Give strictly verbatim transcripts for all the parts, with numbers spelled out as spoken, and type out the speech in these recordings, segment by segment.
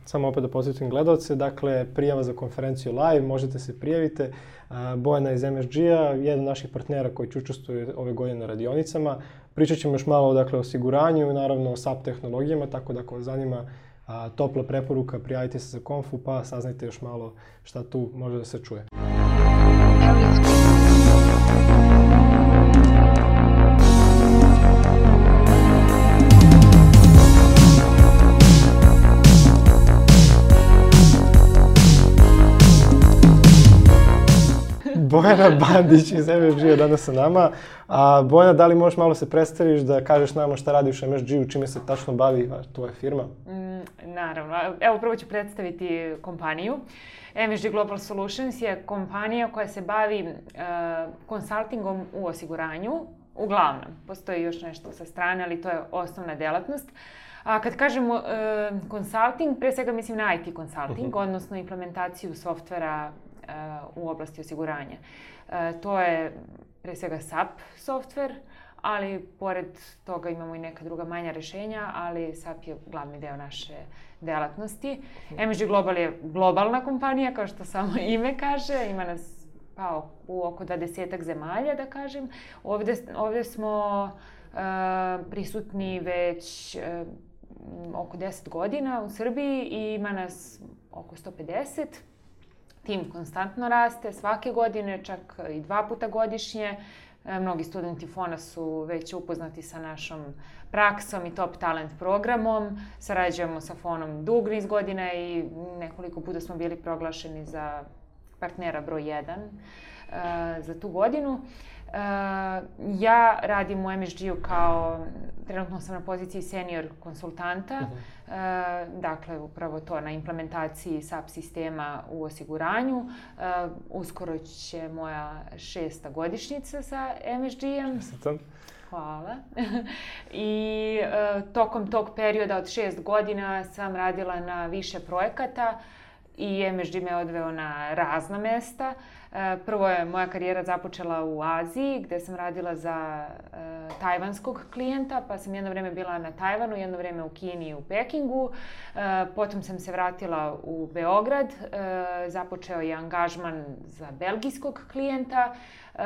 samo opet da podsjetim gledalce, dakle, prijava za konferenciju live, možete se prijavite. Bojana iz em es ge-a, jedan od naših partnera koji će učestvuje ove godine na radionicama. Pričat ćemo još malo dakle, o osiguranju i naravno o S A P tehnologijama, tako da ako vas zanima a, topla preporuka, prijavite se za konfu pa saznajte još malo šta tu može da se čuje. Bojana Bandić iz em es ge-a danas sa nama. A, Bojana, da li možeš malo se predstaviš da kažeš nama šta radiš u em es ge-u, čime se tačno bavi tvoja firma? Mm, naravno. Evo, prvo ću predstaviti kompaniju. em es ge Global Solutions je kompanija koja se bavi uh, konsultingom u osiguranju. Uglavnom, postoji još nešto sa strane, ali to je osnovna delatnost. A kad kažemo uh, consulting, pre svega mislim na i te consulting, uh-huh. odnosno implementaciju softvera u oblasti osiguranja. E, to je pre svega S A P softver, ali pored toga imamo i neka druga manja rešenja, ali S A P je glavni deo naše delatnosti. em es ge Global je globalna kompanija, kao što samo ime kaže, ima nas pa, u oko dvadesetak zemalja, da kažem. Ovde, ovde smo uh, prisutni već uh, oko deset godina u Srbiji i ima nas oko sto pedeset. Tim konstantno raste, svake godine, čak i dva puta godišnje. Mnogi studenti Fona su već upoznati sa našom praksom i top talent programom. Sarađujemo sa Fonom dug niz godina i nekoliko puta smo bili proglašeni za partnera broj jedan uh, za tu godinu. Uh, ja radim u em es ge-u kao, trenutno sam na poziciji senior konsultanta, uh-huh. uh, dakle upravo to na implementaciji S A P sistema u osiguranju. Uh, uskoro će moja šesta godišnjica sa em es ge-em. Čestitam. Hvala. I uh, tokom tog perioda od šest godina sam radila na više projekata i em es ge me odveo na razna mesta. Prvo je moja karijera započela u Aziji, gde sam radila za uh, tajvanskog klijenta, pa sam jedno vreme bila na Tajvanu, jedno vreme u Kini i u Pekingu. Uh, potom sam se vratila u Beograd, uh, započeo je angažman za belgijskog klijenta. Uh,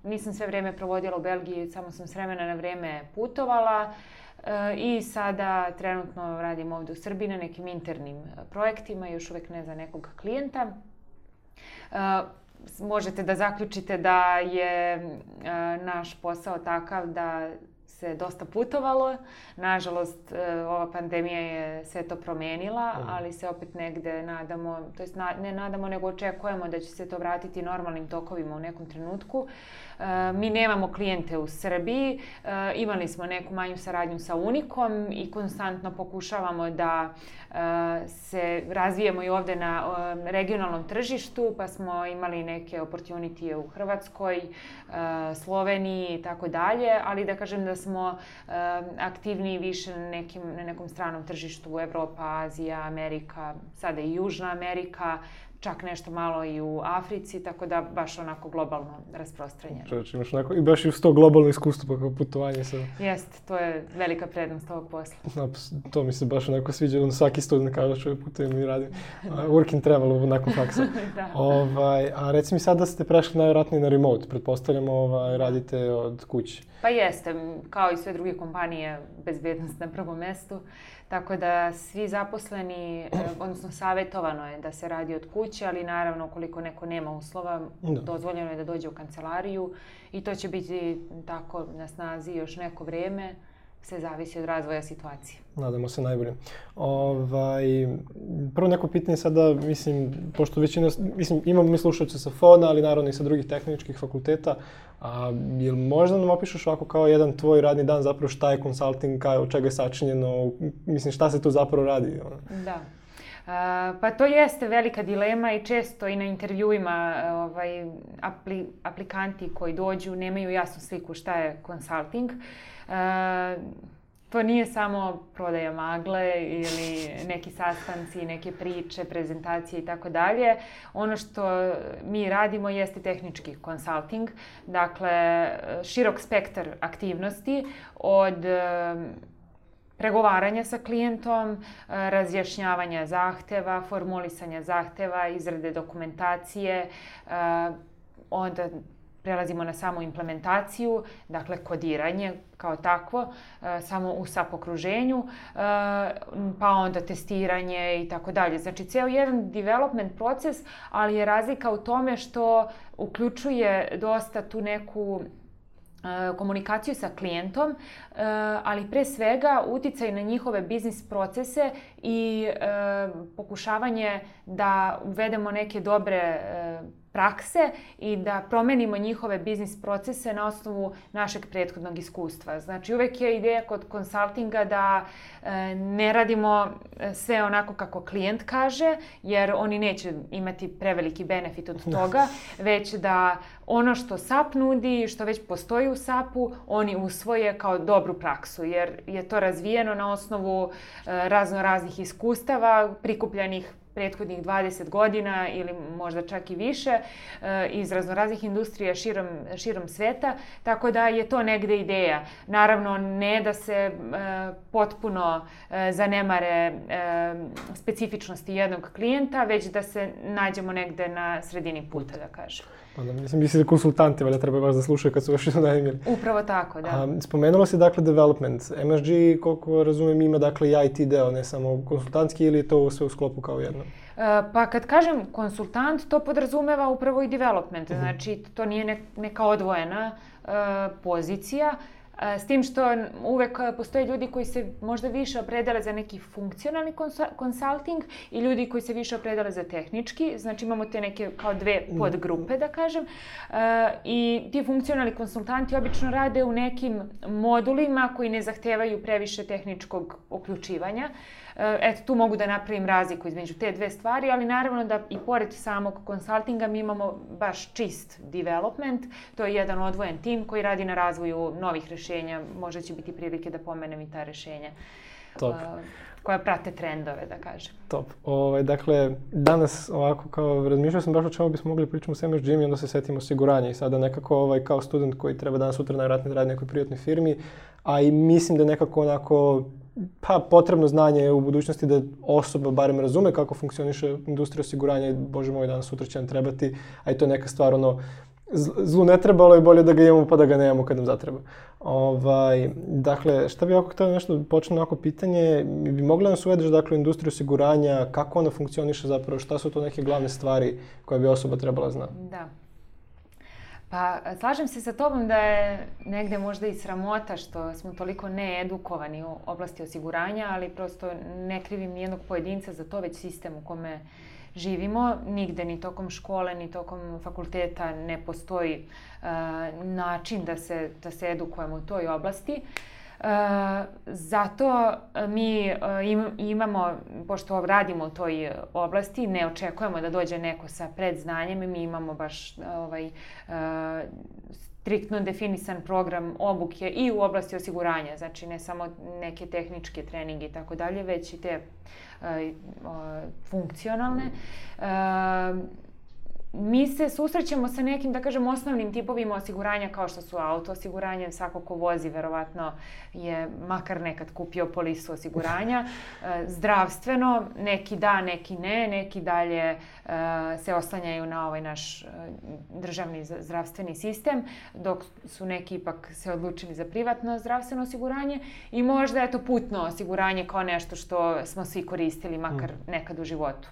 nisam sve vreme provodila u Belgiji, samo sam s vremena na vreme putovala. Uh, I sada trenutno radim ovde u Srbiji na nekim internim projektima, još uvek ne za nekog klijenta. Uh, možete da zaključite da je uh, naš posao takav da se dosta putovalo. Nažalost, uh, ova pandemija je sve to promenila, mm. ali se opet negde nadamo, to jest na, ne nadamo, nego očekujemo da će se to vratiti normalnim tokovima u nekom trenutku. Uh, mi nemamo klijente u Srbiji, uh, imali smo neku manju saradnju sa Unikom i konstantno pokušavamo da uh, se razvijemo i ovde na uh, regionalnom tržištu, pa smo imali neke opportunitije u Hrvatskoj, uh, Sloveniji i tako dalje, ali da kažem da smo uh, aktivniji više na, nekim, na nekom stranom tržištu, Evropa, Azija, Amerika, sada i Južna Amerika, čak nešto malo i u Africi, tako da baš onako globalno rasprostranjeno. Čovječ, imaš onako i baš i uz to globalno iskustvo kao putovanje sa... Jeste, to je velika prednost ovog posla. No, to mi se baš onako sviđa, on svaki student kaže što je putujem i radim. Uh, work and travel nakon faksa. Da. Ovaj, a reci mi sad da ste prešli najvjerojatnije na remote, pretpostavljamo ovaj, radite od kuće. Pa jeste, kao i sve druge kompanije, bezbednost na prvom mestu. Tako da svi zaposleni, odnosno savjetovano je da se radi od kuće, ali naravno ukoliko neko nema uslova, da. Dozvoljeno je da dođe u kancelariju i to će biti tako na snazi još neko vrijeme. Sve zavisi od razvoja situacije. Nadamo se najbolje. Ovaj, prvo neko pitanje sada, mislim, pošto većina, mislim, imamo mi slušalce sa Fona, ali naravno i sa drugih tehničkih fakulteta. A, jel možda nam opišeš ovako kao jedan tvoj radni dan zapravo šta je consulting, kao, od čega je sačinjeno, mislim šta se tu zapravo radi? Da. Uh, pa to jeste velika dilema i često i na intervjuima ovaj, apli, aplikanti koji dođu nemaju jasnu sliku šta je consulting. Uh, to nije samo prodaja magle ili neki sastanci, neke priče, prezentacije i tako dalje. Ono što mi radimo jeste tehnički consulting, dakle širok spektar aktivnosti od pregovaranja sa klijentom, razjašnjavanja zahteva, formulisanja zahteva, izrade dokumentacije, onda prelazimo na samu implementaciju, dakle kodiranje kao takvo, samo u S A P okruženju, pa onda testiranje i tako dalje. Znači, ceo jedan development proces, ali je razlika u tome što uključuje dosta tu neku komunikaciju sa klijentom, ali pre svega uticaj na njihove biznis procese i pokušavanje da uvedemo neke dobre prakse i da promenimo njihove biznis procese na osnovu našeg prethodnog iskustva. Znači, uvek je ideja kod konsultinga da ne radimo sve onako kako klijent kaže, jer oni neće imati preveliki benefit od toga, već da ono što S A P nudi, što već postoji u S A P-u, oni usvoje kao dobru praksu, jer je to razvijeno na osnovu razno raznih iskustava, prikupljanih prethodnih dvadeset godina ili možda čak i više iz raznoraznih industrija širom, širom sveta, tako da je to negde ideja. Naravno, ne da se potpuno zanemare specifičnosti jednog klijenta, već da se nađemo negde na sredini puta, da kažem. Onda, mislim, mislim da konsultanti valjda treba baš da slušaju kad su još najemili. Upravo tako, da. A, spomenulo se dakle development. M S G, koliko razumijem, ima dakle i I T deo, ne samo konsultantski, ili je to sve u sklopu kao jedno? Pa kad kažem konsultant, to podrazumeva upravo i development. Uh-huh. Znači, to nije ne, neka odvojena uh, pozicija. S tim što uvek postoje ljudi koji se možda više opredele za neki funkcionalni konsulting i ljudi koji se više opredele za tehnički. Znači imamo te neke kao dve podgrupe, da kažem. I ti funkcionalni konsultanti obično rade u nekim modulima koji ne zahtevaju previše tehničkog uključivanja. Eto, tu mogu da napravim razliku između te dve stvari, ali naravno da i pored samog konsultinga mi imamo baš čist development. To je jedan odvojen tim koji radi na razvoju novih rešenja. Možda će biti prilike da pomenem i ta rešenja. Top. Koja prate trendove, da kažem. Top. Ovaj, dakle, danas ovako kao razmišljao sam baš o čemu bismo mogli pričati s M S G-im i onda se setimo osiguranja i sada nekako ovaj, kao student koji treba danas sutra najvratnije radi nekoj privatnoj firmi, a i mislim da nekako onako pa potrebno znanje u budućnosti da osoba barem razume kako funkcioniše industrija osiguranja i bože moj, danas sutra će nam trebati, a i to je neka stvar ono, zlu ne treba, ali je bolje da ga imamo pa da ga nemamo kad nam zatreba. Ovaj, dakle, šta bi ovako htio nešto počne ovako pitanje, bi mogla nas uvedeš dakle u industriju osiguranja, kako ona funkcioniše zapravo, šta su to neke glavne stvari koje bi osoba trebala znati? Da. Pa slažem se sa tobom da je negde možda i sramota što smo toliko needukovani u oblasti osiguranja, ali prosto ne krivim nijednog pojedinca za to, već sistem u kome živimo. Nigde ni tokom škole, ni tokom fakulteta ne postoji uh, način da se, da se edukujemo u toj oblasti. Uh, zato mi uh, im, imamo, pošto radimo u toj oblasti, ne očekujemo da dođe neko sa predznanjem, mi imamo baš ovaj, uh, striktno definisan program obuke i u oblasti osiguranja, znači ne samo neke tehničke treninge i tako dalje, već i te uh, uh, funkcionalne. Uh, Mi se susrećemo sa nekim, da kažem, osnovnim tipovima osiguranja kao što su auto osiguranje. Svako ko vozi verovatno je makar nekad kupio polisu osiguranja. Zdravstveno, neki da, neki ne, neki dalje se oslanjaju na ovaj naš državni zdravstveni sistem, dok su neki ipak se odlučili za privatno zdravstveno osiguranje i možda je to putno osiguranje kao nešto što smo svi koristili makar nekad u životu.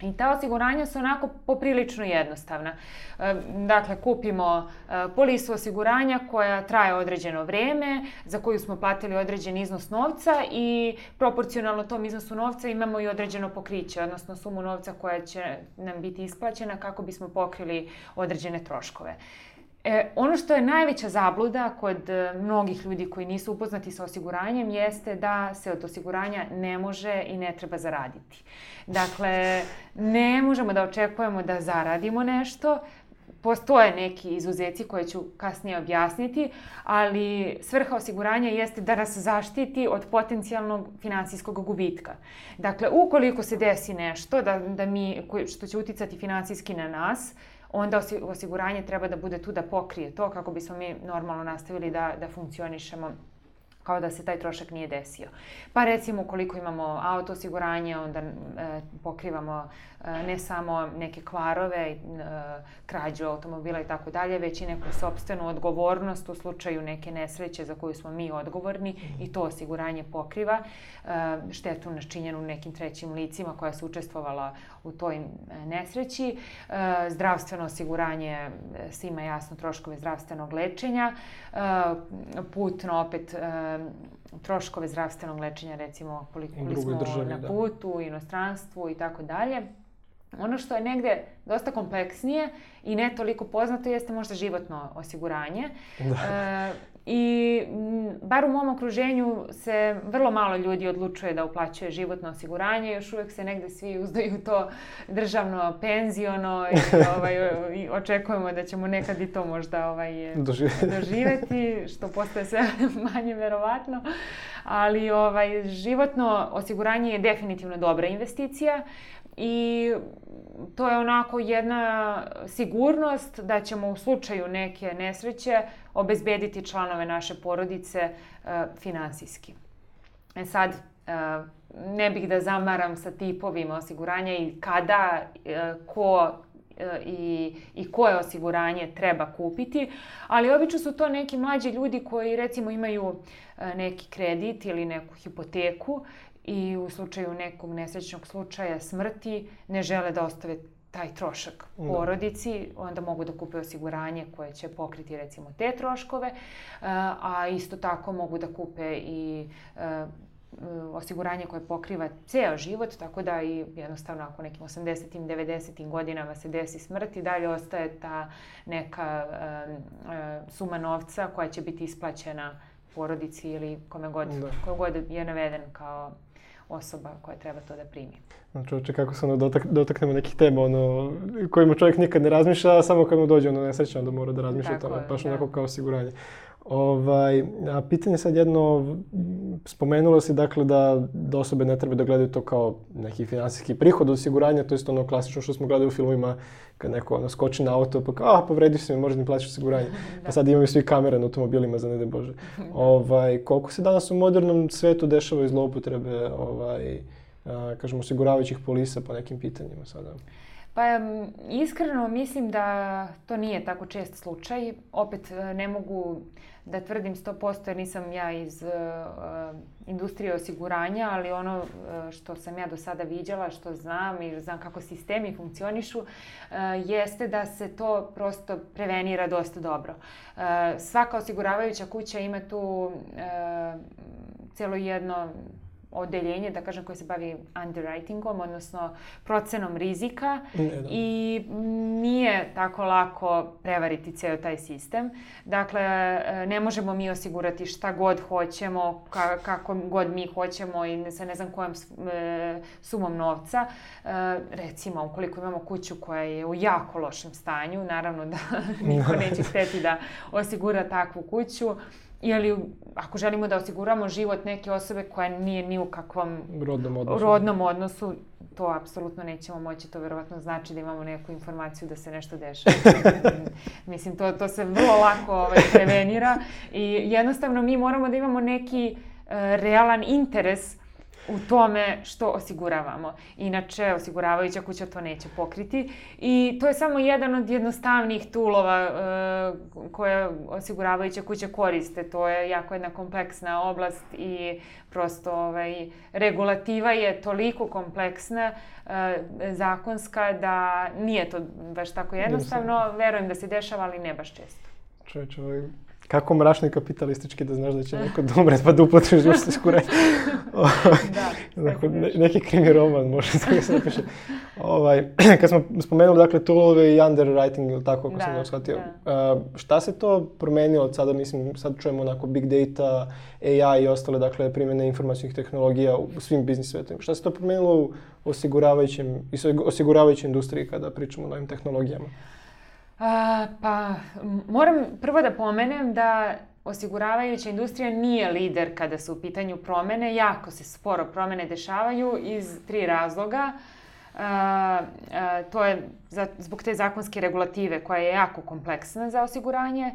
I ta osiguranja su onako poprilično jednostavna. Dakle, kupimo polisu osiguranja koja traje određeno vreme, za koju smo platili određen iznos novca i proporcionalno tom iznosu novca imamo i određeno pokriće, odnosno sumu novca koja će nam biti isplaćena kako bismo pokrili određene troškove. E, ono što je najveća zabluda kod mnogih ljudi koji nisu upoznati sa osiguranjem jeste da se od osiguranja ne može i ne treba zaraditi. Dakle, ne možemo da očekujemo da zaradimo nešto. Postoje neki izuzeci koje ću kasnije objasniti, ali svrha osiguranja jeste da nas zaštiti od potencijalnog finansijskog gubitka. Dakle, ukoliko se desi nešto da, da mi, što će uticati finansijski na nas, onda osiguranje treba da bude tu da pokrije to kako bismo mi normalno nastavili da, da funkcionišemo kao da se taj trošak nije desio. Pa recimo ukoliko imamo auto osiguranje, onda e, pokrivamo e, ne samo neke kvarove, e, krađu automobila i tako dalje, već i neku sopstvenu odgovornost u slučaju neke nesreće za koju smo mi odgovorni i to osiguranje pokriva. E, štetu načinjenu nekim trećim licima koja su učestvovala u toj nesreći. E, zdravstveno osiguranje svima jasno troškove zdravstvenog lečenja. E, putno opet e, troškove zdravstvenog lečenja, recimo koliko smo državi, na da. putu, u inostranstvu i tako dalje. Ono što je negde dosta kompleksnije i ne toliko poznato jeste možda životno osiguranje. Da. E, I m, bar u mom okruženju se vrlo malo ljudi odlučuje da uplaćuje životno osiguranje. Još uvek se negde svi uzdaju to državno, penziono i, ovaj, i očekujemo da ćemo nekad i to možda ovaj, doživjeti. doživjeti, što postaje sve manje verovatno. Ali ovaj, životno osiguranje je definitivno dobra investicija. I to je onako jedna sigurnost da ćemo u slučaju neke nesreće obezbediti članove naše porodice e, finansijski. E sad, e, ne bih da zamaram sa tipovima osiguranja i kada, e, ko e, i, i koje osiguranje treba kupiti, ali obično su to neki mlađi ljudi koji recimo imaju e, neki kredit ili neku hipoteku i u slučaju nekog nesrećnog slučaja smrti ne žele da ostave taj trošak porodici, onda mogu da kupe osiguranje koje će pokriti recimo te troškove, a isto tako mogu da kupe i osiguranje koje pokriva ceo život, tako da i jednostavno ako nekim osamdesetim, devedesetim godinama se desi smrt i dalje ostaje ta neka suma novca koja će biti isplaćena porodici ili kome god, ko god je naveden kao osoba koja treba to da primi. Čovječe, kako se ono dotak, dotaknemo nekih tema ono, kojima čovjek nikad ne razmišlja, a samo kad mu dođe ono nesreća, onda mora da razmišlja o tome, baš onako kao osiguranje. Ovaj, a pitanje sad jedno, spomenulo si dakle da, da osobe ne treba da gledaju to kao neki finansijski prihod od osiguranja, to je ono klasično što smo gledali u filmovima kad neko ono, skoči na auto pa kao, ah, povrediš se mi, možda ne plaćaš osiguranje. Pa sad imaju svi kamere na automobilima, za ne daj Bože. Ovaj, koliko se danas u modernom svetu dešavaju zloupotrebe ovaj, a, kažemo, osiguravajućih polisa po nekim pitanjima sada? Pa iskreno mislim da to nije tako čest slučaj. Opet ne mogu da tvrdim sto posto jer nisam ja iz uh, industrije osiguranja, ali ono uh, što sam ja do sada viđala, što znam i znam kako sistemi funkcionišu, uh, jeste da se to prosto prevenira dosta dobro. Uh, svaka osiguravajuća kuća ima tu uh, cijelo jedno odeljenje, da kažem, koje se bavi underwritingom, odnosno procenom rizika i nije tako lako prevariti ceo taj sistem. Dakle, ne možemo mi osigurati šta god hoćemo, ka, kako god mi hoćemo i sa ne znam kojom e, sumom novca. E, recimo, ukoliko imamo kuću koja je u jako lošem stanju, naravno da niko neće hteti da osigura takvu kuću. Ili ako želimo da osiguramo život neke osobe koja nije ni u kakvom rodnom odnosu, rodnom odnosu to apsolutno nećemo moći. To verovatno znači da imamo neku informaciju da se nešto dešava. Mislim, to, to se vrlo lako ovaj, prevenira i jednostavno mi moramo da imamo neki uh, realan interes u tome što osiguravamo. Inače, osiguravajuća kuća to neće pokriti. I to je samo jedan od jednostavnijih toolova uh, koje osiguravajuća kuća koriste. To je jako jedna kompleksna oblast i prosto ovaj, regulativa je toliko kompleksna, uh, zakonska, da nije to baš tako jednostavno. Verujem da se dešava, ali ne baš često. Čovječe, ovaj... Kako mračno i kapitalistički da znaš da će neko da umre pa da uplatiš životno osiguranje. Da, dakle, ne, neki krimi roman može da se napiše. Ovaj, kad smo spomenuli dakle toolove i underwriting ili tako kako da, sam da shvatio. Da. Uh, šta se to promenilo od sada? Mislim, sad čujemo onako big data, A I i ostale dakle primjene informacijskih tehnologija u svim biznis svetovima. Šta se to promenilo u osiguravajućem i osiguravajućoj industriji kada pričamo o novim tehnologijama? A, pa, moram prvo da pomenem da osiguravajuća industrija nije lider kada su u pitanju promene. Jako se sporo promene dešavaju iz tri razloga. A, a, to je za, zbog te zakonske regulative koja je jako kompleksna za osiguranje.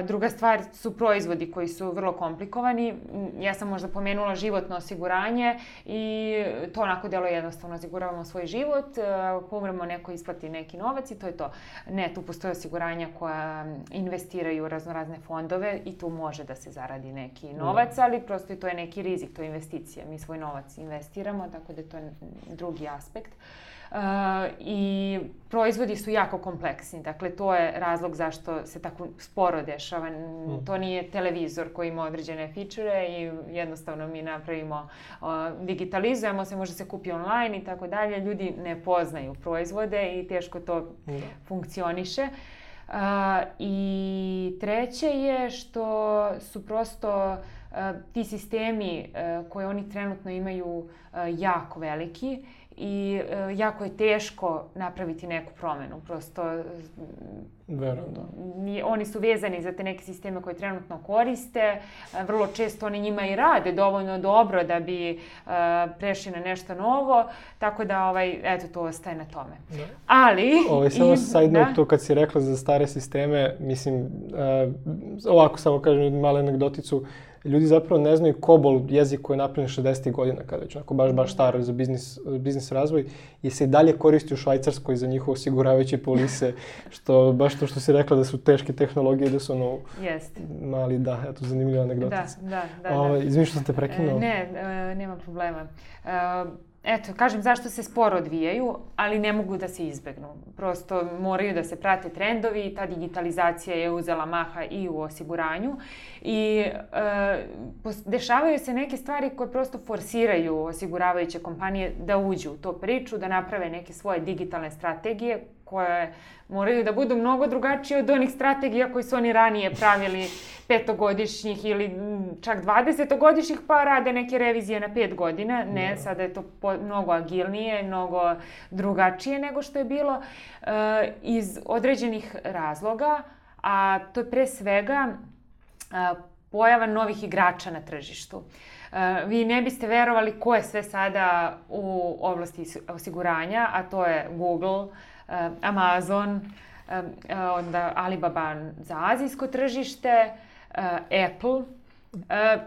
Druga stvar su proizvodi koji su vrlo komplikovani. Ja sam možda pomenula životno osiguranje i to onako delo jednostavno. Osiguravamo svoj život, ako umremo neko isplati neki novac i to je to. Ne, tu postoje osiguranja koja investiraju u raznorazne fondove i tu može da se zaradi neki novac, ali prosto i to je neki rizik, to je investicija. Mi svoj novac investiramo, tako da je to drugi aspekt. Uh, i proizvodi su jako kompleksni, dakle to je razlog zašto se tako sporo dešava. Mm. To nije televizor koji ima određene fičure i jednostavno mi napravimo, uh, digitalizujemo se, može se kupi online i tako dalje. Ljudi ne poznaju proizvode i teško to mm. funkcioniše. Uh, I treće je što su prosto uh, ti sistemi uh, koje oni trenutno imaju uh, jako veliki i uh, jako je teško napraviti neku promenu. Prosto Verujem, da. Oni su vezani za te neke sisteme koje trenutno koriste. Uh, vrlo često oni njima i rade dovoljno dobro da bi uh, prešli na nešto novo. Tako da, ovaj, eto, to ostaje na tome. Da. Ali... Ovo, samo i, side note, to kad si rekla za stare sisteme, mislim, uh, ovako samo kažem malu anegdoticu, ljudi zapravo ne znaju COBOL jezik koji je napravljen šezdesetih godina, kada već onako baš, baš staro za biznis, biznis razvoj i se i dalje koristi u Švajcarskoj za njihove osiguravajuće polise, što baš to što si rekla da su teške tehnologije, da su ono Jest. mali, da, eto, zanimljiva anegdotica. Da, da, da. Ovo, izvini što sam te prekinuo. E, ne, e, nema problema. E, Eto, kažem zašto se sporo odvijaju, ali ne mogu da se izbegnu. Prosto moraju da se prate trendovi i ta digitalizacija je uzela maha i u osiguranju. I e, dešavaju se neke stvari koje prosto forsiraju osiguravajuće kompanije da uđu u tu priču, da naprave neke svoje digitalne strategije koje moraju da budu mnogo drugačije od onih strategija koje su oni ranije pravili petogodišnjih ili čak dvadesetogodišnjih, pa rade neke revizije na pet godina. Ne, no. Sada je to po, mnogo agilnije, mnogo drugačije nego što je bilo uh, iz određenih razloga, a to je pre svega uh, pojava novih igrača na tržištu. Uh, vi ne biste verovali ko je sve sada u oblasti osiguranja, a to je Google, uh, Amazon, uh, onda Alibaba za azijsko tržište, uh, Apple. Uh,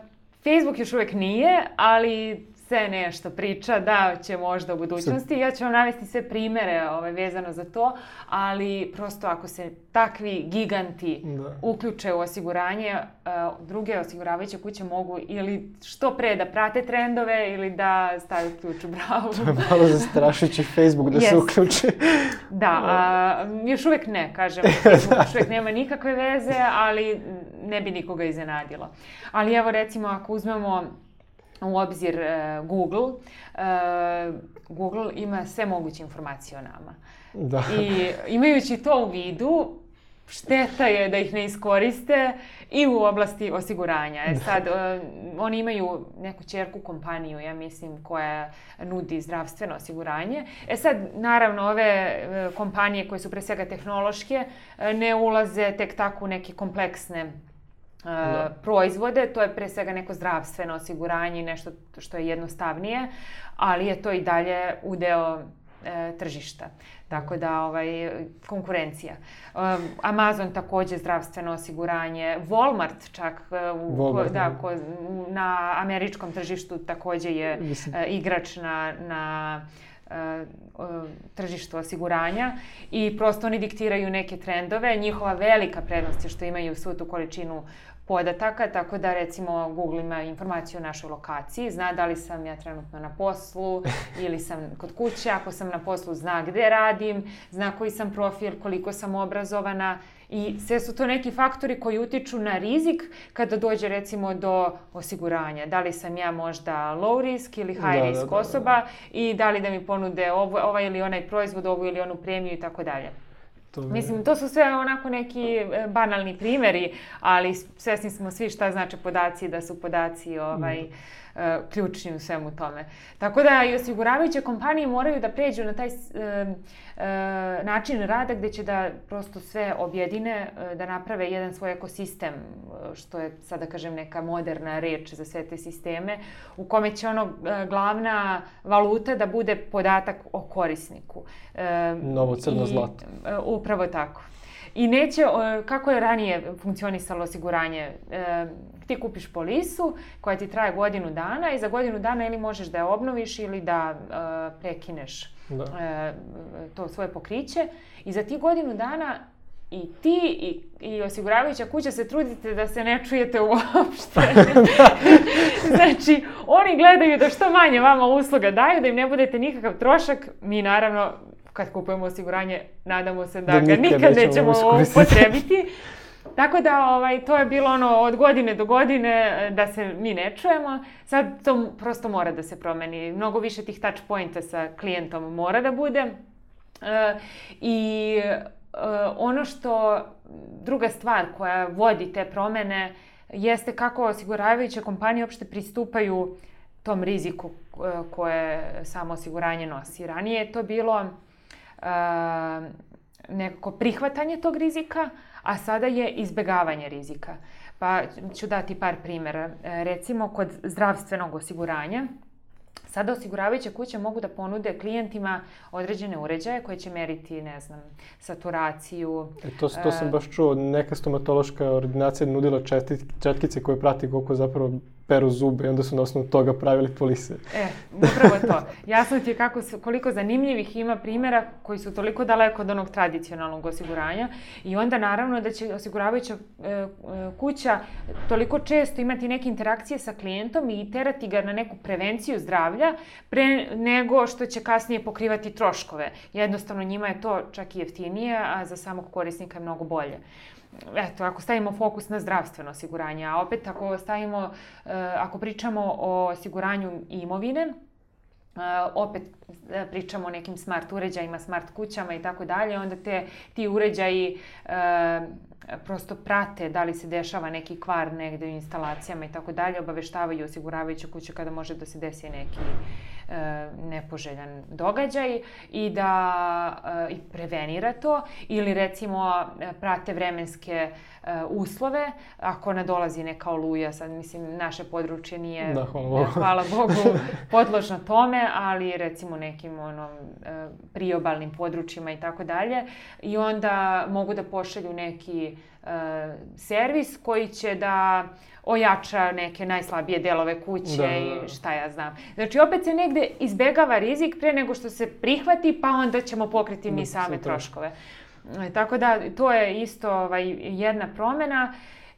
Facebook još uvijek nije, ali se nešto priča da će možda u budućnosti. Ja ću vam navesti sve primere ovaj, vezano za to, ali prosto ako se takvi giganti da. uključe u osiguranje, uh, druge osiguravajuće kuće mogu ili što pre da prate trendove ili da stave ključ u bravu. To je malo zastrašujući Facebook da yes. se uključi. Da, a, još uvijek ne, kažem. Facebook još uvijek nema nikakve veze, ali ne bi nikoga iznenadilo. Ali evo recimo ako uzmemo u obzir uh, Google, uh, Google ima sve moguće informacije o nama. Da. I imajući to u vidu, šteta je da ih ne iskoriste i u oblasti osiguranja. E sad, uh, oni imaju neku ćerku kompaniju, ja mislim, koja nudi zdravstveno osiguranje. E sad, naravno, ove uh, kompanije koje su pre svega tehnološke uh, ne ulaze tek tako u neke kompleksne Uh, proizvode, to je pre svega neko zdravstveno osiguranje i nešto što je jednostavnije, ali je to i dalje udeo e, tržišta. Tako da, ovaj, konkurencija. Um, Amazon takođe zdravstveno osiguranje, Walmart čak u, Walmart, ko, da, ko, na američkom tržištu takođe je e, igrač na, na tržištu osiguranja i prosto oni diktiraju neke trendove. Njihova velika prednost je što imaju svu tu količinu podataka, tako da recimo Google ima informaciju o našoj lokaciji, zna da li sam ja trenutno na poslu ili sam kod kuće, ako sam na poslu zna gde radim, zna koji sam profil, koliko sam obrazovana i sve su to neki faktori koji utiču na rizik kada dođe recimo do osiguranja. Da li sam ja možda low risk ili high da, risk da, da, osoba da, da. i da li da mi ponude ovo, ovaj ili onaj proizvod, ovu ili onu premiju i tako dalje. To Mislim, to su sve onako neki banalni primjeri, ali svesni smo svi šta znače podaci, da su podaci ovaj, mm. uh, ključni u svemu tome. Tako da i osiguravajuće kompanije moraju da pređu na taj uh, uh, način rada gdje će da prosto sve objedine, uh, da naprave jedan svoj ekosistem, uh, što je sada kažem neka moderna reč za sve te sisteme, u kome će ono uh, glavna valuta da bude podatak o korisniku. Uh, Novo crno zlato. Uh, upravo tako. I neće, kako je ranije funkcionisalo osiguranje, e, ti kupiš polisu koja ti traje godinu dana i za godinu dana ili možeš da je obnoviš ili da e, prekineš da. E, to svoje pokriće i za ti godinu dana i ti i, i osiguravajuća kuća se trudite da se ne čujete uopšte. Znači, oni gledaju da što manje vama usluga daju, da im ne budete nikakav trošak. Mi naravno, kad kupujemo osiguranje, nadamo se da, da ga nikad, nikad nećemo upotrebiti. Tako da ovaj, to je bilo ono od godine do godine da se mi ne čujemo. Sad to prosto mora da se promeni. Mnogo više tih touch pointa sa klijentom mora da bude. E, I Uh, ono što, druga stvar koja vodi te promene jeste kako osiguravajuće kompanije uopšte pristupaju tom riziku uh, koje samo osiguranje nosi. Ranije je to bilo uh, nekako prihvatanje tog rizika, a sada je izbegavanje rizika. Pa ću dati par primjera. Recimo, kod zdravstvenog osiguranja, sada osiguravajuće kuće mogu da ponude klijentima određene uređaje koje će meriti, ne znam, saturaciju. E to, to sam baš čuo, neka stomatološka ordinacija nudila četit, četkice koje prati koliko zapravo peru zube i onda su na osnovu toga pravili polise. E, upravo to. Jasno ti je kako, koliko zanimljivih ima primjera koji su toliko daleko od onog tradicionalnog osiguranja i onda naravno da će osiguravajuća e, kuća toliko često imati neke interakcije sa klijentom i terati ga na neku prevenciju zdravlja pre nego što će kasnije pokrivati troškove. Jednostavno njima je to čak i jeftinije, a za samog korisnika je mnogo bolje. Eto, ako stavimo fokus na zdravstveno osiguranje, a opet ako stavimo, ako pričamo o osiguranju imovine, opet pričamo o nekim smart uređajima, smart kućama i tako dalje, onda te, ti uređaji prosto prate da li se dešava neki kvar negde u instalacijama i tako dalje, obaveštavaju osiguravajuću kuću kada može da se desi neki e, nepoželjan događaj i da e, i prevenira to, ili recimo prate vremenske e, uslove, ako nadolazi neka oluja, sad mislim naše područje nije, da, hvala Bogu, hvala Bogu podložno tome, ali recimo nekim onom e, priobalnim područjima i tako dalje, i onda mogu da pošalju neki uh, servis koji će da ojača neke najslabije delove kuće da, da. i šta ja znam. Znači opet se negde izbegava rizik pre nego što se prihvati, pa onda ćemo pokriti mi same troškove. Tako da to je isto ovaj, jedna promjena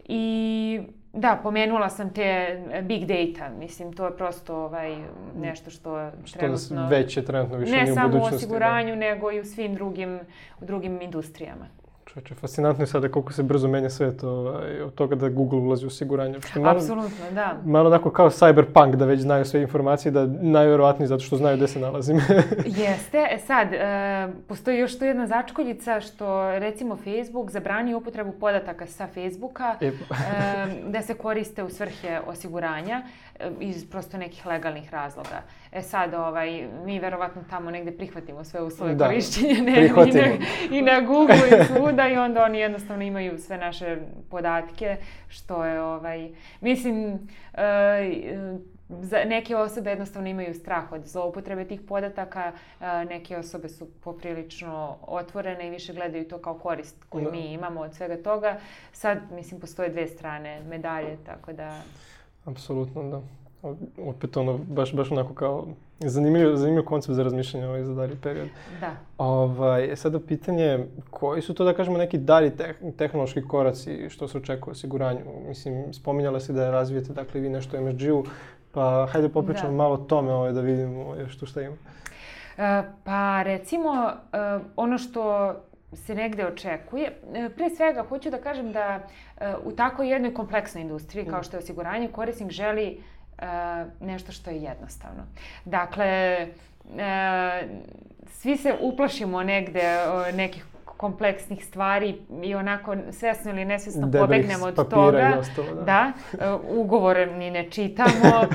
i da, pomenula sam te big data, mislim, to je prosto ovaj, nešto što, što trenutno... već je trenutno više ne u samo budućnosti. u osiguranju, da. nego i u svim drugim, u drugim industrijama. Čovječe, fascinantno je sada koliko se brzo menja svet ovaj, od toga da Google ulazi u osiguranje. Malo, apsolutno, da. Malo onako kao cyberpunk, da već znaju sve informacije, da najvjerovatnije zato što znaju gde se nalazim. Jeste. E sad, e, postoji još tu jedna začkoljica što recimo Facebook zabrani upotrebu podataka sa Facebooka e, da se koriste u svrhe osiguranja e, iz prosto nekih legalnih razloga. E sad, ovaj, mi verovatno tamo negde prihvatimo sve uslove da, korišćenja ne, i, na, i na Google i svuda i onda oni jednostavno imaju sve naše podatke, što je, ovaj, mislim, e, za neke osobe jednostavno imaju strah od zloupotrebe tih podataka, e, neke osobe su poprilično otvorene i više gledaju to kao korist koju da. mi imamo od svega toga. Sad, mislim, postoje dve strane medalje, tako da... Apsolutno, da. Opet ono, baš, baš onako kao zanimljiv, zanimljiv koncept za razmišljanje ovaj za dalji period. Da. Ovaj, sada pitanje, koji su to, da kažemo, neki dalji teh, tehnološki koraci što se očekuje u osiguranju? Mislim, spominjala si da razvijete, dakle, vi nešto u em es ge u, pa hajde popričamo da. malo o tome ovaj, da vidimo još tu šta ima. E, pa recimo, e, ono što se negde očekuje. Pre svega, hoću da kažem da e, u tako jednoj kompleksnoj industriji kao što je osiguranje, korisnik želi Uh, nešto što je jednostavno. Dakle, uh, svi se uplašimo negde uh, nekih kompleksnih stvari i onako svesno ili nesvesno Debelih pobegnemo od toga. Ostalo, da, da uh, ugovore ni ne čitamo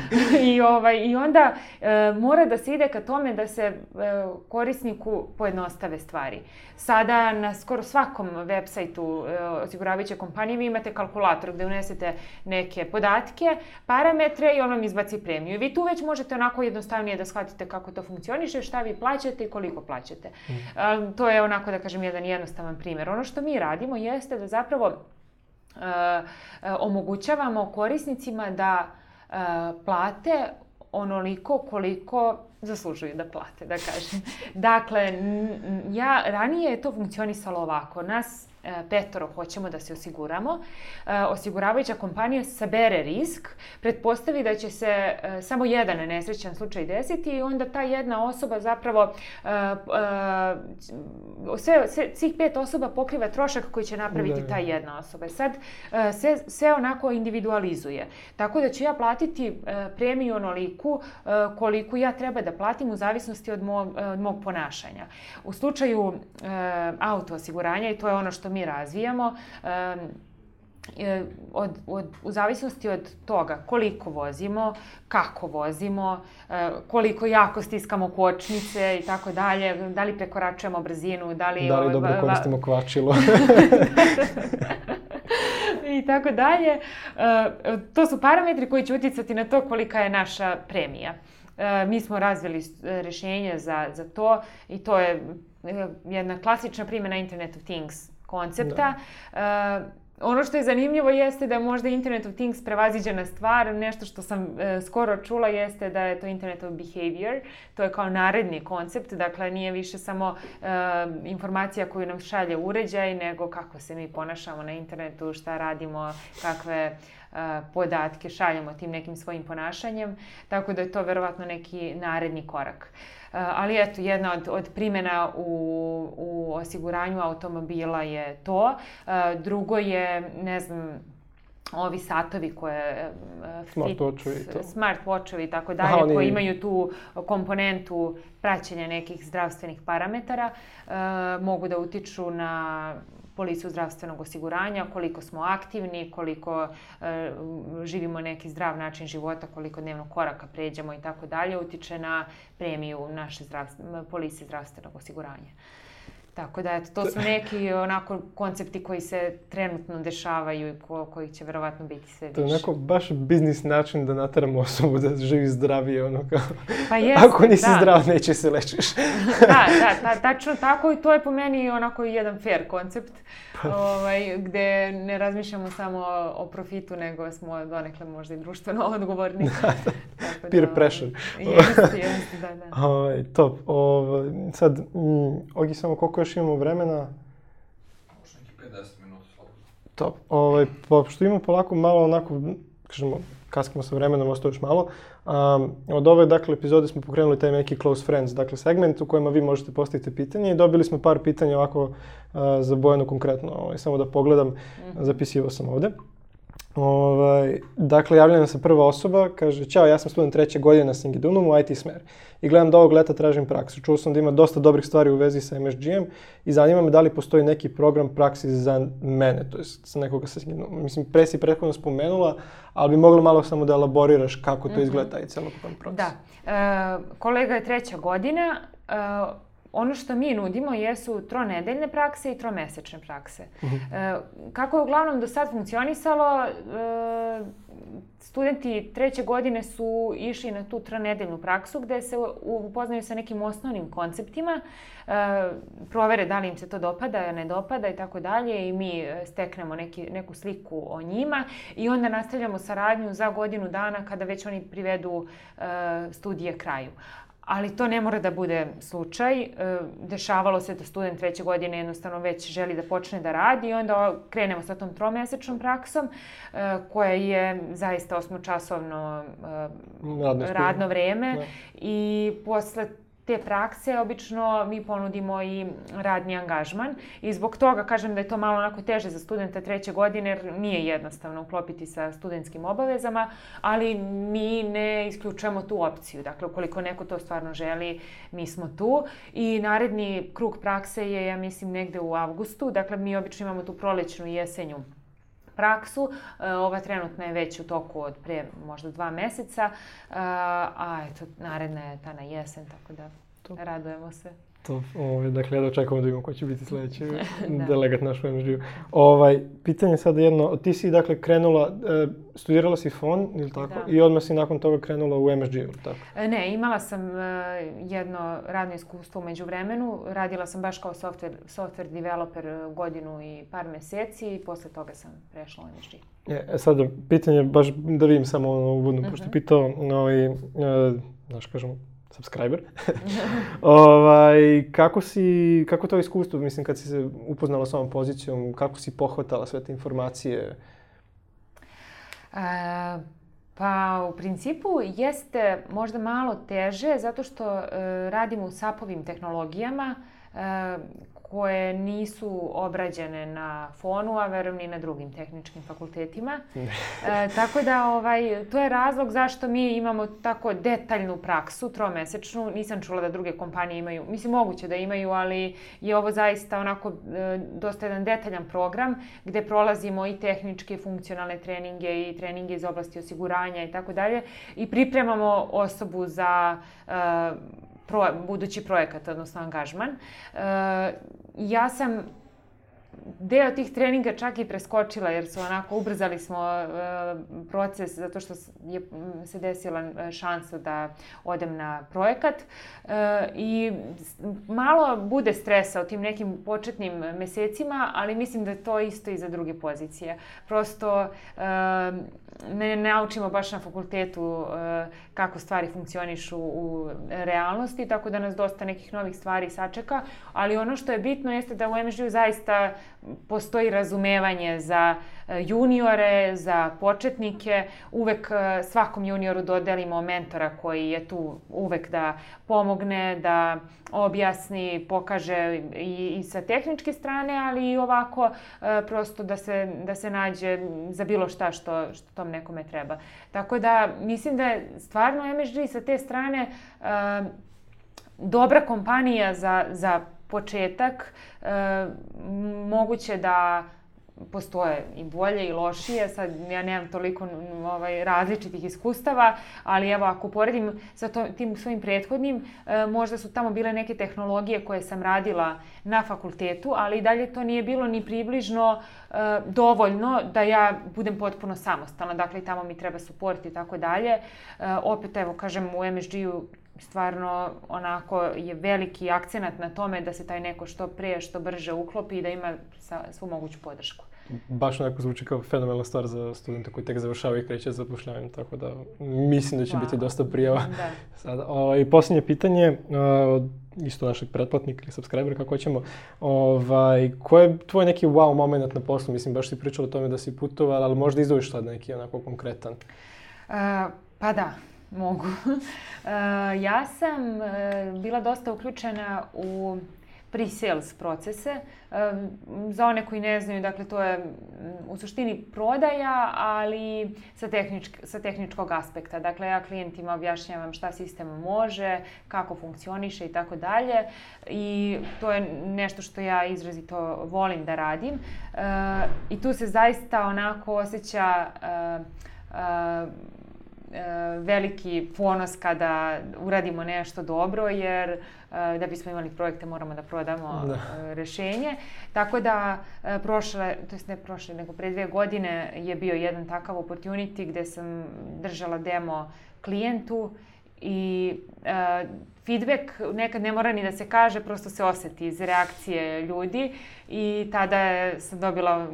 i, ovaj, i onda uh, mora da se ide ka tome da se uh, korisniku pojednostave stvari. Sada na skoro svakom web sajtu uh, osiguravajuće kompanije vi imate kalkulator gde unesete neke podatke, parametre i on vam izbaci premiju. I vi tu već možete onako jednostavnije da shvatite kako to funkcioniše, šta vi plaćate i koliko plaćate. Mm. Uh, to je onako, da kažem, jedan jednostavan primjer. Ono što mi radimo jeste da zapravo uh, omogućavamo korisnicima da uh, plate onoliko koliko zaslužuju da plate, da kažem. Dakle, ja, ranije je to funkcionisalo ovako. Nas petoro hoćemo da se osiguramo. Osiguravajuća kompanija sabere risk, pretpostavi da će se samo jedan nesrećan slučaj desiti i onda ta jedna osoba zapravo sve, sve, svih pet osoba pokriva trošak koji će napraviti da. ta jedna osoba. Sad sve, sve onako individualizuje. Tako da ću ja platiti premiju onoliku koliko ja treba da platim u zavisnosti od mog, od mog ponašanja. U slučaju auto osiguranja, i to je ono što mi razvijamo, od, od, u zavisnosti od toga koliko vozimo, kako vozimo, koliko jako stiskamo kočnice i tako dalje, da li prekoračujemo brzinu, da li... Da li dobro koristimo kvačilo. I tako dalje. To su parametri koji će utjecati na to kolika je naša premija. Mi smo razvili rješenje za, za to i to je jedna klasična primjena Internet of Things koncepta. Da. Ono što je zanimljivo jeste da možda Internet of Things prevaziđena stvar. Nešto što sam e, skoro čula jeste da je to Internet of Behavior. To je kao naredni koncept. Dakle, nije više samo e, informacija koju nam šalje uređaj, nego kako se mi ponašamo na internetu, šta radimo, kakve e, podatke šaljemo tim nekim svojim ponašanjem. Tako da je to verovatno neki naredni korak. Ali eto, jedna od, od primjena u, u osiguranju automobila je to. Drugo je, ne znam, ovi satovi koje... Smart watchovi i to. Smart watchovi i tako dalje, Aha, koji imaju tu komponentu praćenja nekih zdravstvenih parametara, mogu da utiču na polisu zdravstvenog osiguranja, koliko smo aktivni, koliko e, živimo neki zdrav način života, koliko dnevno koraka pređemo i tako dalje, utiče na premiju naše polise zdravstvenog osiguranja. Tako da, eto, to su neki onako koncepti koji se trenutno dešavaju i ko, koji će verovatno biti sve više. To je onako baš biznis način da nateramo osobu da živi zdravije, ono kao... Pa jest, ako nisi da. zdrav, neće se lečiš. Da, da, ta, tačno tako i to je po meni onako jedan fair koncept, ovaj, gde ne razmišljamo samo o, o profitu, nego smo donekle možda i društveno odgovorni. Da, da. Tako Peer da, pressure. Jeste, jeste, da, da. Ovaj, top. Ovaj, sad, mm, Ogi, samo koliko još imamo vremena? Možda neki pedeset minuta slobodno. Top. Ovaj, pošto imamo polako malo onako, kažemo, kaskamo sa vremenom, ostao još malo. Um, od ove, dakle, epizode smo pokrenuli taj neki close friends, dakle, segment u kojima vi možete postaviti pitanje i dobili smo par pitanja ovako uh, za Bojanu konkretno. Ovaj, samo da pogledam, mm-hmm. zapisivao sam ovde. Ovaj, dakle, javlja nam se prva osoba, kaže: "Ćao, ja sam student treće godine na Singidunumu u I T smer i gledam da ovog leta tražim praksu. Čuo sam da ima dosta dobrih stvari u vezi sa M S G em i zanima me da li postoji neki program praksi za mene, to jest za nekoga sa Singidunuma. Mislim, pre si prethodno spomenula, ali bi mogla malo samo da elaboriraš kako to mm-hmm. izgleda taj celokupan proces." Da. E, kolega je treća godina. E, Ono što mi nudimo jesu tronedeljne prakse i tromesečne prakse. Mm-hmm. E, kako je uglavnom do sad funkcionisalo, e, studenti treće godine su išli na tu tronedeljnu praksu gde se upoznaju sa nekim osnovnim konceptima, e, provere da li im se to dopada, ne dopada i tako dalje i mi steknemo neki, neku sliku o njima i onda nastavljamo saradnju za godinu dana kada već oni privedu e, studije kraju. Ali to ne mora da bude slučaj. Dešavalo se da student treće godine jednostavno već želi da počne da radi i onda krenemo sa tom tromesečnom praksom koja je zaista osmočasovno radno, radno vreme. Da. I posle te prakse obično mi ponudimo i radni angažman i zbog toga kažem da je to malo onako teže za studenta treće godine jer nije jednostavno uklopiti sa studentskim obavezama, ali mi ne isključujemo tu opciju. Dakle, ukoliko neko to stvarno želi, mi smo tu. I naredni krug prakse je, ja mislim, negde u avgustu. Dakle, mi obično imamo tu prolećnu i jesenju praksu. Ova trenutna je već u toku od pre možda dva meseca, a eto, naredna je ta na jesen, tako da Top. Radujemo se. To, ovaj, dakle, da očekujemo da vidimo ko će biti sljedeći da. delegat naš u em es ge u. Ovaj, pitanje sad jedno, ti si dakle krenula, e, studirala si fon, ili tako? Da. I odmah si nakon toga krenula u em es ge u, tako? Ne, imala sam e, jedno radno iskustvo u međuvremenu. Radila sam baš kao software, software developer godinu i par meseci i posle toga sam prešla u em es ge. E, sad, pitanje, baš da vidim samo ono uvodno, uh-huh. pošto je pitao, ovaj, e, znaš, kažem, subscriber. ovaj, kako si, kako to iskustvo, mislim, kad si se upoznala s ovom pozicijom, kako si pohvatala sve te informacije? E, pa, u principu jeste možda malo teže, zato što e, radimo u sapovim tehnologijama, e, koje nisu obrađene na fonu, a verujem ni na drugim tehničkim fakultetima. e, tako da ovaj, to je razlog zašto mi imamo tako detaljnu praksu, tromesečnu. Nisam čula da druge kompanije imaju, mislim moguće da imaju, ali je ovo zaista onako e, dosta jedan detaljan program gde prolazimo i tehničke i funkcionalne treninge i treninge iz oblasti osiguranja i tako dalje i pripremamo osobu za e, Pro, budući projekat, odnosno angažman. E, ja sam deo tih treninga čak i preskočila jer su onako ubrzali smo e, proces zato što je se desila šansa da odem na projekat e, i malo bude stresa u tim nekim početnim mesecima, ali mislim da je to isto i za druge pozicije. Prosto e, ne naučimo baš na fakultetu e, kako stvari funkcionišu u realnosti, tako da nas dosta nekih novih stvari sačeka, ali ono što je bitno jeste da u em es ge u zaista postoji razumevanje za juniore, za početnike. Uvek svakom junioru dodelimo mentora koji je tu uvek da pomogne, da objasni, pokaže i, i sa tehničke strane, ali i ovako prosto da se, da se nađe za bilo šta što, što tom nekome treba. Tako da mislim da je stvarno em es ge sa te strane uh, dobra kompanija za, za početak. Uh, moguće da postoje i bolje i lošije, sad ja nemam toliko ovaj, različitih iskustava, ali evo ako poredim sa to, tim svojim prethodnim, e, možda su tamo bile neke tehnologije koje sam radila na fakultetu, ali i dalje to nije bilo ni približno e, dovoljno da ja budem potpuno samostalna, dakle tamo mi treba suport i tako dalje. E, opet evo kažem u em es ge u stvarno onako je veliki akcenat na tome da se taj neko što prije, što brže uklopi i da ima svu moguću podršku. Baš onako zvuči kao fenomenalna stvar za studente koji tek završavaju i kreće zapošljavanjem, tako da mislim da će Hvala. biti dosta prijava. Da. Sada, o, i posljednje pitanje, o, isto našeg pretplatnika ili subscribera, kako ćemo, ovaj, ko je tvoj neki wow moment na poslu? Mislim, baš si pričala o tome da si putovala, ali možda izdvojiš sad neki onako konkretan. Uh, pa da. Mogu. Uh, ja sam uh, bila dosta uključena u pre-sales procese. Uh, za one koji ne znaju, dakle to je u suštini prodaja, ali sa, tehničk, sa tehničkog aspekta. Dakle, ja klijentima objašnjavam šta sistem može, kako funkcioniše i tako dalje. I to je nešto što ja izrazito volim da radim. Uh, I tu se zaista onako osjeća uh, uh, veliki ponos kada uradimo nešto dobro, jer da bismo imali projekte moramo da prodamo da. rešenje. Tako da prošle, to jest ne prošle, nego pre dve godine je bio jedan takav opportunity gde sam držala demo klijentu i uh, feedback nekad ne mora ni da se kaže, prosto se osjeti iz reakcije ljudi i tada sam dobila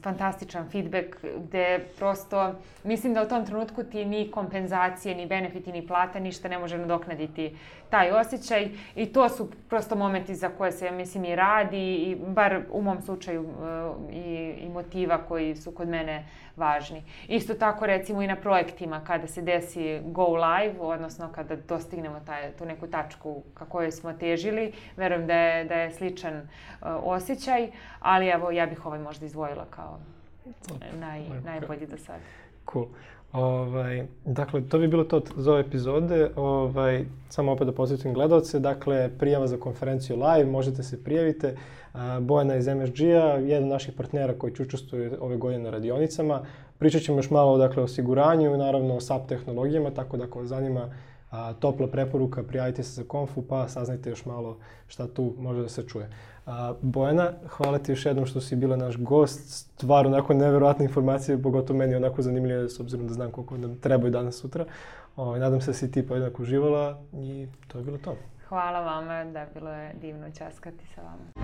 fantastičan feedback gde prosto mislim da u tom trenutku ti ni kompenzacije, ni benefiti, ni plata, ništa ne može nadoknaditi taj osjećaj i to su prosto momenti za koje se, mislim, i radi i bar u mom slučaju uh, i, i motiva koji su kod mene važni. Isto tako recimo i na projektima kada se desi go live, odnosno kada dostignemo taj, tu neku tačku ka kojoj smo težili, verujem da je, da je sličan uh, osjećaj, ali evo ja bih ovaj možda izdvojila kao naj, najbolji do sada. Cool. Ovaj, dakle, to bi bilo to za ove epizode. Ovaj, samo opet da podsjetim gledalce. Dakle, prijava za konferenciju live, možete se prijavite. Bojana iz em es ge a, jedan od naših partnera koji će učestvuje ove godine na radionicama. Pričat ćemo još malo dakle, o osiguranju, naravno o S A P tehnologijama, tako da ako vas zanima A, topla preporuka, prijavite se za konfu pa saznajte još malo šta tu može da se čuje. A, Bojana, hvala ti još jednom što si bila naš gost. Stvarno onako neverovatne informacije, pogotovo meni onako zanimljive s obzirom da znam koliko nam trebaju danas sutra. O, nadam se da si ti pa jednako uživala i to je bilo to. Hvala vama, da bilo je divno ćaskati sa vama.